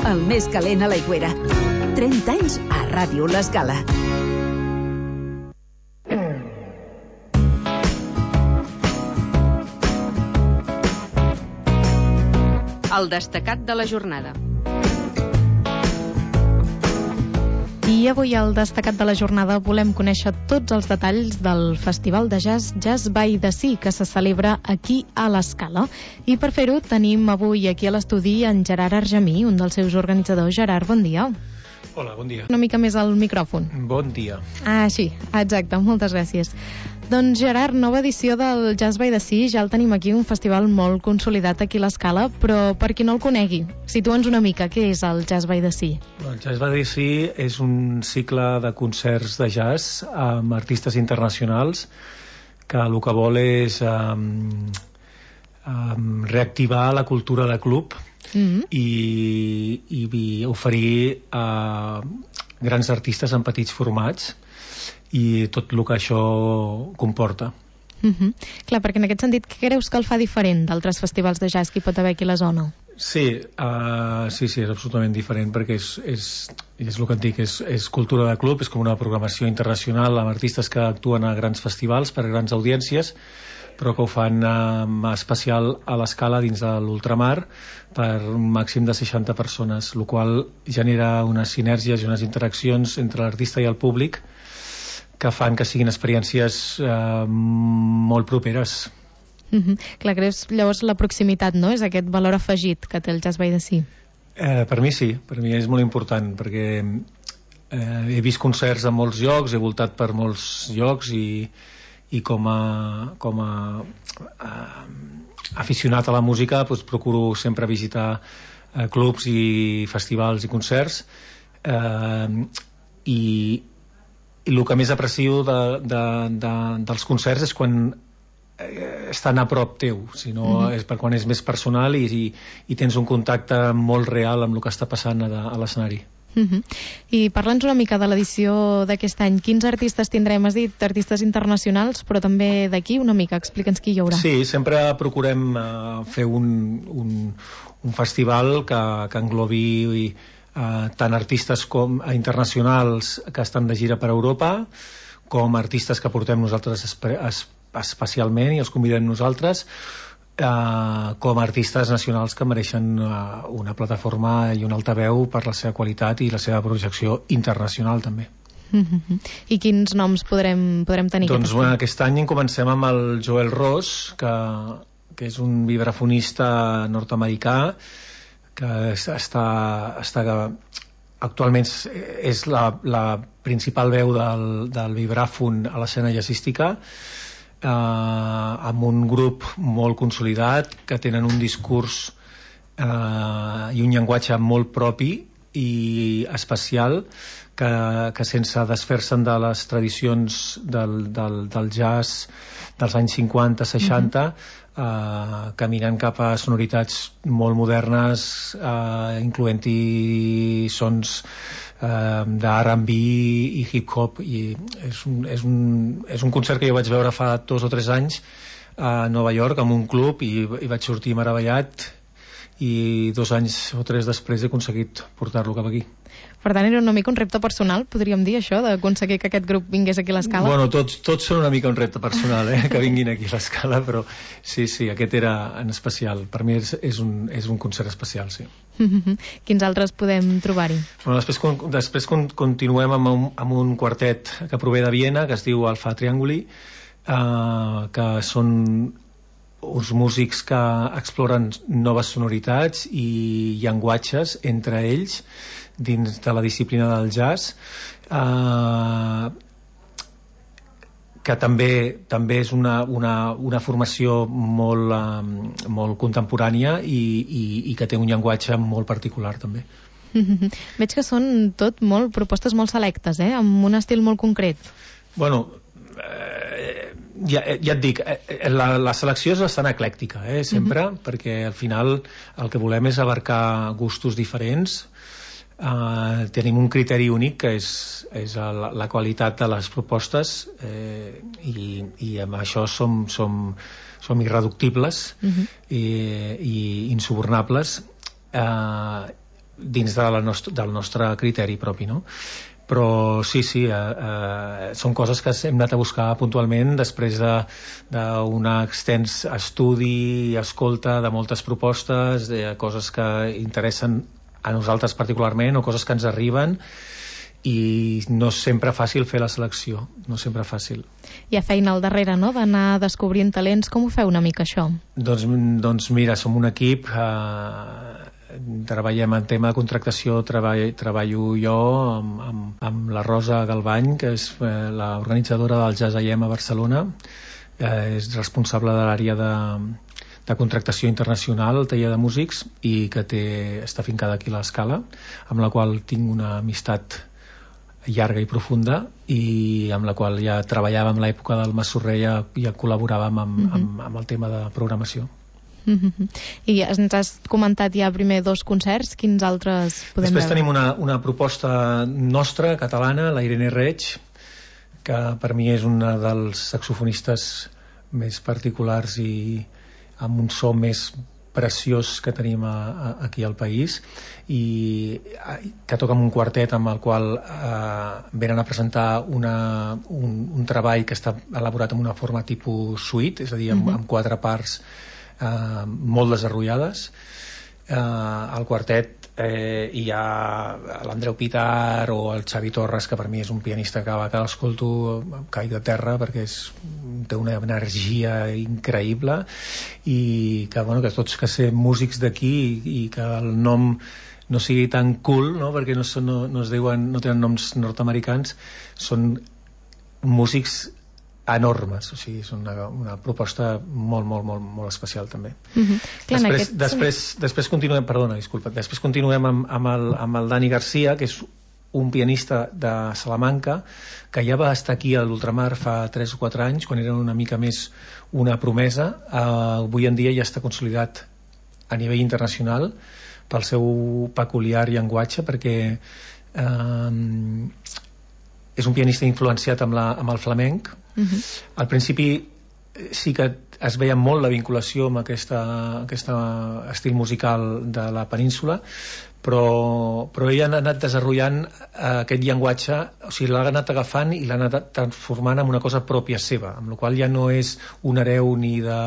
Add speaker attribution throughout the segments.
Speaker 1: el més calent a l'Aigüera. 30 anys a Ràdio L'Escala.
Speaker 2: El destacat de la jornada.
Speaker 3: I avui al destacat de la jornada volem conèixer tots els detalls del Festival de Jazz Jazz by the Sea que se celebra aquí a l'Escala. I per fer-ho tenim avui aquí a l'estudi en Gerard Argemí, un dels seus organitzadors. Gerard, bon dia.
Speaker 4: Hola, bon dia.
Speaker 3: Una mica més al micròfon.
Speaker 4: Bon dia.
Speaker 3: Ah, sí, exacte, moltes gràcies. Doncs Gerard, nova edició del Jazz by the Sea, ja el tenim aquí, un festival molt consolidat aquí a l'Escala, però per qui no el conegui, situa'ns una mica, què és el Jazz by the Sea?
Speaker 4: El Jazz by the Sea és un cicle de concerts de jazz amb artistes internacionals que el que vol és reactivar la cultura de club i oferir grans artistes en petits formats i tot el que això comporta.
Speaker 3: Clar, perquè en aquest sentit, què creus que el fa diferent d'altres festivals de jazz que hi pot haver aquí a la zona?
Speaker 4: Sí, és absolutament diferent perquè és el que et dic, és cultura de club, és com una programació internacional amb artistes que actuen a grans festivals per a grans audiències, però que ho fan especial a l'Escala dins de l'ultramar per un màxim de 60 persones, el qual genera unes sinergies i unes interaccions entre l'artista i el públic que fan que siguin experiències molt properes.
Speaker 3: Clar, creus llavors la proximitat, no? És aquest valor afegit que té el Jazz by the Sea.
Speaker 4: Per mi sí, per mi és molt important perquè he vist concerts en molts llocs, he voltat per molts llocs i com a aficionat a la música doncs procuro sempre visitar clubs i festivals i concerts i el que més aprecio dels concerts és quan estan a prop teu, sinó és per quan és més personal i tens un contacte molt real amb el que està passant a l'escenari.
Speaker 3: I parla'ns una mica de l'edició d'aquest any. Quins artistes tindrem? Has dit artistes internacionals, però també d'aquí una mica. Explica'ns qui hi haurà.
Speaker 4: Sí, sempre procurem fer un festival que englobi tant artistes com internacionals que estan de gira per Europa, com artistes que portem nosaltres especialment i els convidem nosaltres, com artistes nacionals que mereixen una plataforma i un altaveu per la seva qualitat i la seva projecció internacional també.
Speaker 3: I quins noms podrem tenir?
Speaker 4: Doncs aquest any comencem amb el Joel Ross, que és un vibrafonista nord-americà que actualment és la principal veu del vibràfon a l'escena jazzística, amb un grup molt consolidat que tenen un discurs i un llenguatge molt propi i especial que sense desfer-se'n de les tradicions del jazz dels anys 50-60 caminant cap a sonoritats molt modernes, incloent-hi sons d'R&B i hip-hop, i és un concert que jo vaig veure fa 2 o 3 anys a Nova York amb un club i vaig sortir meravellat i 2 anys o 3 després he aconseguit portar-lo cap aquí.
Speaker 3: Per tant, era una mica un repte personal, podríem dir, això, d'aconseguir que aquest grup vingués aquí a l'Escala?
Speaker 4: Bueno, tots són una mica un repte personal, que vinguin aquí a l'Escala, però sí, aquest era en especial. Per mi és un concert especial, sí.
Speaker 3: Quins altres podem trobar-hi?
Speaker 4: Bueno, després continuem amb un quartet que prové de Viena, que es diu Alfa Trianguli, que són uns músics que exploren noves sonoritats i llenguatges entre ells dins de la disciplina del jazz, que també és una formació molt contemporània i que té un llenguatge molt particular també.
Speaker 3: Veig que són tot propostes molt selectes, amb un estil molt concret.
Speaker 4: Bueno, ja et dic, la selecció és bastant eclèctica, sempre, perquè al final el que volem és abarcar gustos diferents. Tenim un criteri únic que és la qualitat de les propostes i amb això som irreductibles i insubornables, dins del nostre criteri propi, no? Però sí, són coses que hem anat a buscar puntualment després d'un extens estudi i escolta de moltes propostes, de coses que interessen a nosaltres particularment o coses que ens arriben, i no és sempre fàcil fer la selecció, no és sempre fàcil.
Speaker 3: Hi ha feina al darrere, no?, d'anar descobrint talents. Com ho feu una mica, això?
Speaker 4: Doncs mira, som un equip, treballem en tema de contractació, treballo jo amb la Rosa Galbany, que és l'organitzadora del Jazz AM a Barcelona, és responsable de l'àrea de contractació internacional al taller de músics i que està fincada aquí a l'Escala, amb la qual tinc una amistat llarga i profunda i amb la qual ja treballàvem a l'època del Massorrer, ja col·laboràvem amb el tema de programació.
Speaker 3: I ens has comentat ja primer 2 concerts, quins altres podem
Speaker 4: Després
Speaker 3: veure?
Speaker 4: tenim una proposta nostra, catalana, la Irene Reig, que per mi és una dels saxofonistes més particulars i amb un so més preciós que tenim aquí al país, i que toca amb un quartet amb el qual venen a presentar un treball que està elaborat en una forma tipus suite, és a dir, amb 4 parts molt desenrotllades. Al quartet hi ha l'Andreu Pitar o el Xavi Torres, que per mi és un pianista que l'escolto caic de terra perquè té una energia increïble, i que tots que ser músics d'aquí i que el nom no sigui tan cool, no? Perquè no tenen noms nord-americans, són músics enormes, o sigui, és una proposta molt especial també. Després continuem amb el Dani Garcia, que és un pianista de Salamanca que ja va estar aquí a l'Ultramar fa 3 o 4 anys, quan era una mica més una promesa. Avui en dia ja està consolidat a nivell internacional pel seu peculiar llenguatge, perquè és un pianista influenciat amb el flamenc. Al principi sí que es veia molt la vinculació amb aquest estil musical de la península, però ell ha anat desenvolupant aquest llenguatge, o sigui, l'ha anat agafant i l'ha anat transformant en una cosa pròpia seva, amb la qual ja no és un hereu ni de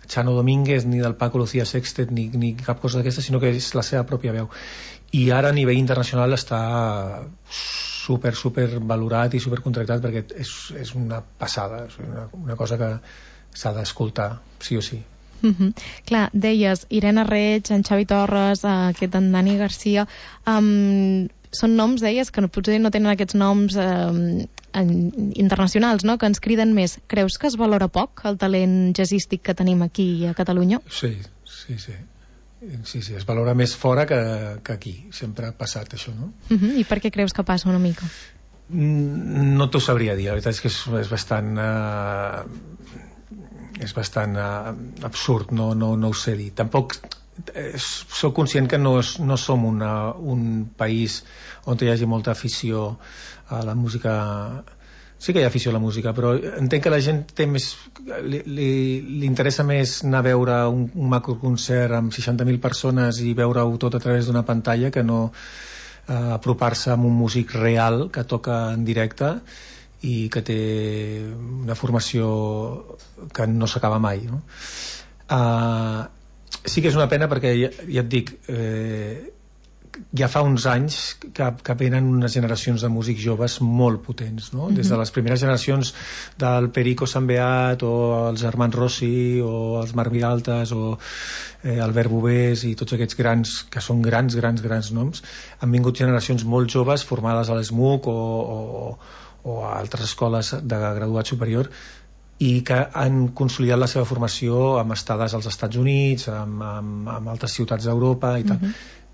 Speaker 4: Chano Domínguez ni del Paco Lucía Sextet ni cap cosa d'aquesta, sinó que és la seva pròpia veu. I ara a nivell internacional està super valorat i super contractat, perquè és una passada, és una cosa que s'ha d'escoltar sí o sí.
Speaker 3: Clar, deies Irene Reig, en Xavi Torres, aquest en Dani Garcia, són noms, deies, que potser no tenen aquests noms internacionals, no?, que ens criden més. Creus que es valora poc el talent jazzístic que tenim aquí a Catalunya?
Speaker 4: Sí, es valora més fora que aquí, sempre ha passat això, no?
Speaker 3: I per què creus que passa una mica?
Speaker 4: No t'ho sabria dir, la veritat és que és bastant absurd, no ho sé dir. Tampoc soc conscient que no som un país on hi hagi molta afició a la música. Sí que hi ha afició a la música, però entenc que la gent té més, li interessa més anar a veure un macroconcert amb 60.000 persones i veure-ho tot a través d'una pantalla que no apropar-se amb un músic real que toca en directe i que té una formació que no s'acaba mai, no? Sí que és una pena, perquè ja et dic, ja fa uns anys que venen unes generacions de músics joves molt potents, no? Des de les primeres generacions del Perico Sambeat o els germans Rossi o els Marc Vilaltas o Albert Bovés i tots aquests grans, que són grans noms. Han vingut generacions molt joves formades a l'ESMUC o a altres escoles de graduat superior, i que han consolidat la seva formació amb estades als Estats Units, amb altres ciutats d'Europa i tal,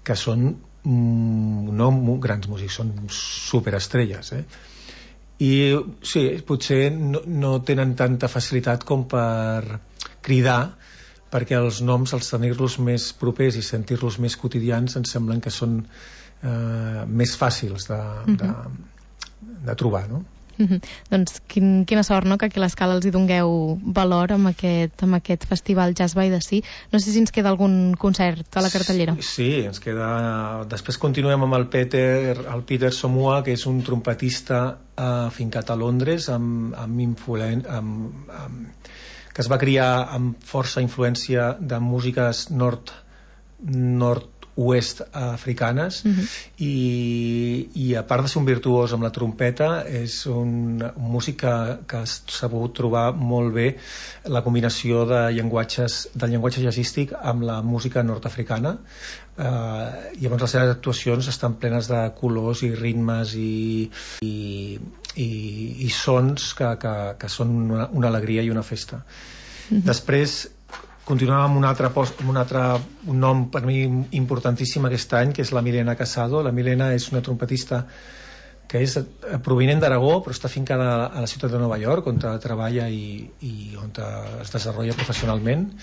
Speaker 4: que són no grans músics, són superestrelles, i sí, potser no tenen tanta facilitat com per cridar, perquè els noms, els tenir-los més propers i sentir-los més quotidians, ens semblen que són més fàcils de trobar, no?
Speaker 3: Doncs quina sort, no?, que aquí a l'Escala els hi dongueu valor amb aquest festival Jazz by the Sea. No sé si ens queda algun concert a la cartellera.
Speaker 4: Sí, ens queda... Després continuem amb el Peter Somua, que és un trompetista afincat a Londres, que es va criar amb força influència de músiques nord-oest africanes, i a part de ser un virtuós amb la trompeta, és un músic que ha sabut trobar molt bé la combinació del llenguatge jazzístic amb la música nord-africana. Llavors les seves actuacions estan plenes de colors i ritmes i sons que són una alegria i una festa. Després continuem amb un nom per mi importantíssim aquest any, que és la Milena Casado. La Milena és una trompetista que és provinent d'Aragó, però està afincada a la ciutat de Nova York, on treballa i on es desenvolupa professionalment.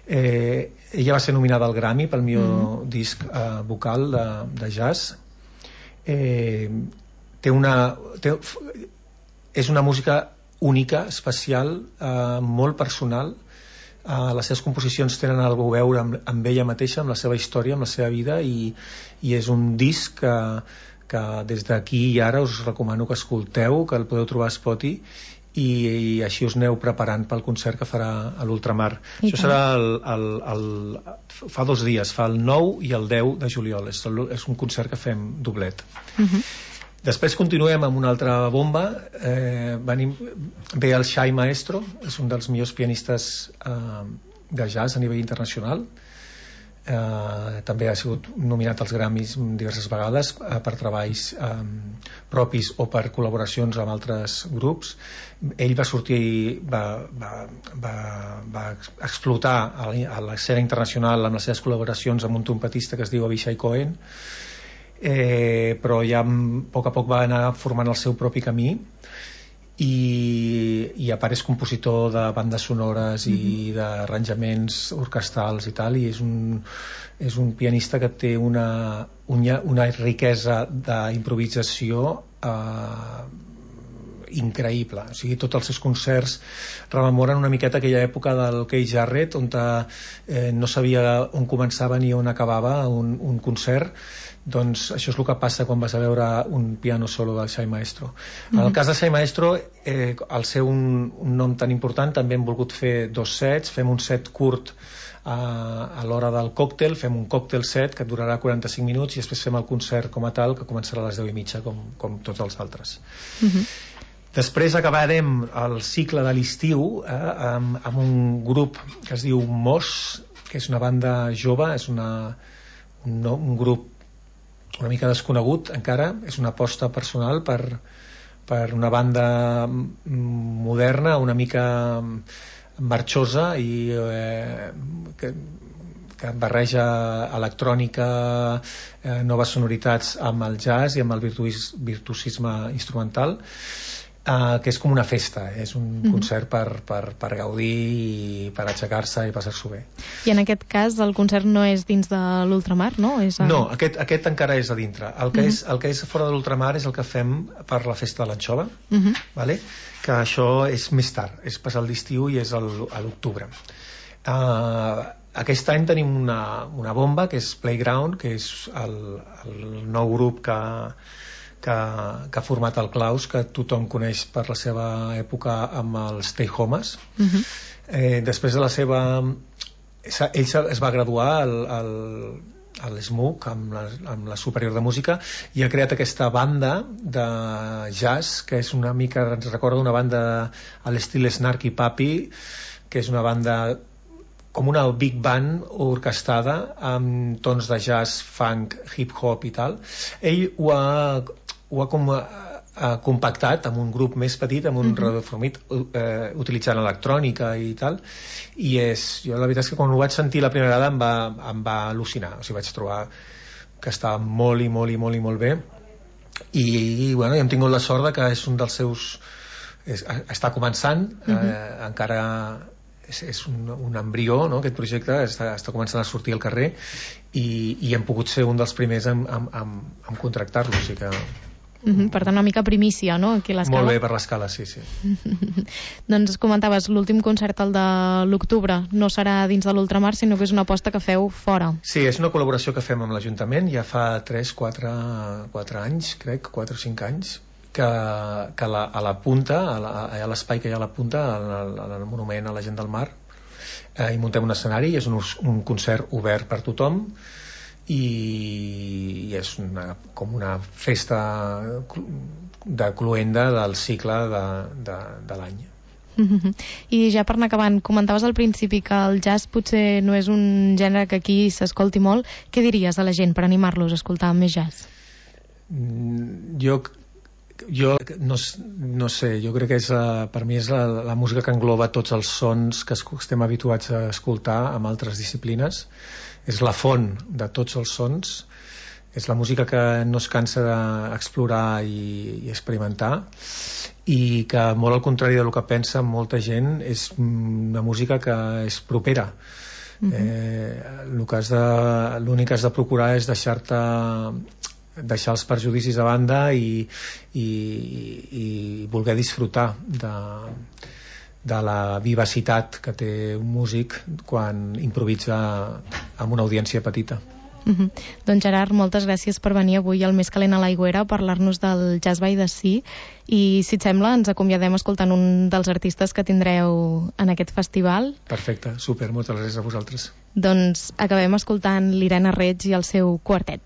Speaker 4: Ella va ser nominada al Grammy pel millor disc vocal de jazz. És una música única, especial, molt personal. Les seves composicions tenen alguna cosa a veure amb ella mateixa, amb la seva història, amb la seva vida, i és un disc que des d'aquí i ara us recomano que escolteu, que el podeu trobar a Spotify, i així us aneu preparant pel concert que farà a l'Ultramar. Això serà fa 2 dies, fa el 9 i el 10 de juliol. És un concert que fem doblet. Després continuem amb una altra bomba. Ve el Shai Maestro, és un dels millors pianistes de jazz a nivell internacional. També ha sigut nominat als Grammys diverses vegades per treballs propis o per col·laboracions amb altres grups. Ell va sortir, va explotar a l'escena internacional amb les seves col·laboracions amb un trompetista que es diu Avishai Cohen, però ja a poc va anar formant el seu propi camí, i a part és compositor de bandes sonores i d'arranjaments orquestrals i tal, i és un pianista que té una riquesa d'improvisació increïble. O sigui, tots els seus concerts rememoren una miqueta aquella època del Keith Jarrett, on no sabia on començava ni on acabava un concert. Doncs això és el que passa quan vas a veure un piano solo del Shai Maestro. En el cas de Shai Maestro, al ser un nom tan important, també hem volgut fer 2 sets. Fem un set curt a l'hora del còctel, fem un còctel set que durarà 45 minuts, i després fem el concert com a tal, que començarà a les 10:30 com tots els altres. Després acabarem el cicle de l'estiu amb un grup que es diu Mos, que és una banda jove, és un grup una mica desconegut encara, és una aposta personal per una banda moderna, una mica marxosa i que barreja electrònica, noves sonoritats amb el jazz i amb el virtuosisme instrumental, que és com una festa, és un concert per gaudir i per aixecar-se i passar-s'ho bé.
Speaker 3: I en aquest cas el concert no és dins de l'Ultramar, no?
Speaker 4: No, aquest encara és a dintre. El que és fora de l'Ultramar és el que fem per la festa de l'anxova, que això és més tard, és passar l'estiu i és a l'octubre. Aquest any tenim una bomba, que és Playground, que és el nou grup que ha format el Klaus, que tothom coneix per la seva època amb els Stay Homes. Després de la seva... ell es va graduar a l'SMUC, amb la Superior de Música, i ha creat aquesta banda de jazz, que és una mica, ens recorda una banda a l'estil Snarky Puppy, que és una banda com una big band orquestada amb tons de jazz, funk, hip-hop i tal. Ell ho ha compactat amb un grup més petit, amb un radioformit, utilitzant electrònica i tal, i jo la veritat és que quan ho vaig sentir la primera vegada em va al·lucinar. O sigui, vaig trobar que estava molt i molt i molt i molt bé, i bueno, hem tingut la sort que és un dels seus... està començant, encara és un embrió, no? Aquest projecte està començant a sortir al carrer, i hem pogut ser un dels primers en contractar-lo, o sigui que
Speaker 3: Per tant, una mica primícia, no?, aquí a l'Escala.
Speaker 4: Molt bé per l'Escala, sí.
Speaker 3: Doncs comentaves, l'últim concert, el de l'octubre, no serà dins de l'Ultramar, sinó que és una aposta que feu fora.
Speaker 4: Sí, és una col·laboració que fem amb l'Ajuntament, ja fa 4 anys, crec, 4 o 5 anys, que a la punta, a l'espai que hi ha a la punta, al monument a la gent del mar, hi muntem un escenari, és un concert obert per tothom, i és com una festa de cloenda del cicle de l'any.
Speaker 3: I ja per anar acabant, comentaves al principi que el jazz potser no és un gènere que aquí s'escolti molt. Què diries a la gent per animar-los a escoltar més jazz?
Speaker 4: Jo no sé, jo crec que per mi és la música que engloba tots els sons que estem habituats a escoltar amb altres disciplines. És la font de tots els sons, és la música que no es cansa d'explorar i experimentar, i que, molt al contrari del que pensa molta gent, és una música que és propera. L'únic que has de procurar és deixar els perjudicis a banda i voler disfrutar de la vivacitat que té un músic quan improvisa amb una audiència petita.
Speaker 3: Doncs Gerard, moltes gràcies per venir avui al Més Calent a l'Aigüera a parlar-nos del Jazz by the Sea, i si et sembla ens acomiadem escoltant un dels artistes que tindreu en aquest festival.
Speaker 4: Perfecte, super, moltes gràcies a vosaltres.
Speaker 3: Doncs acabem escoltant l'Irene Reig i el seu quartet.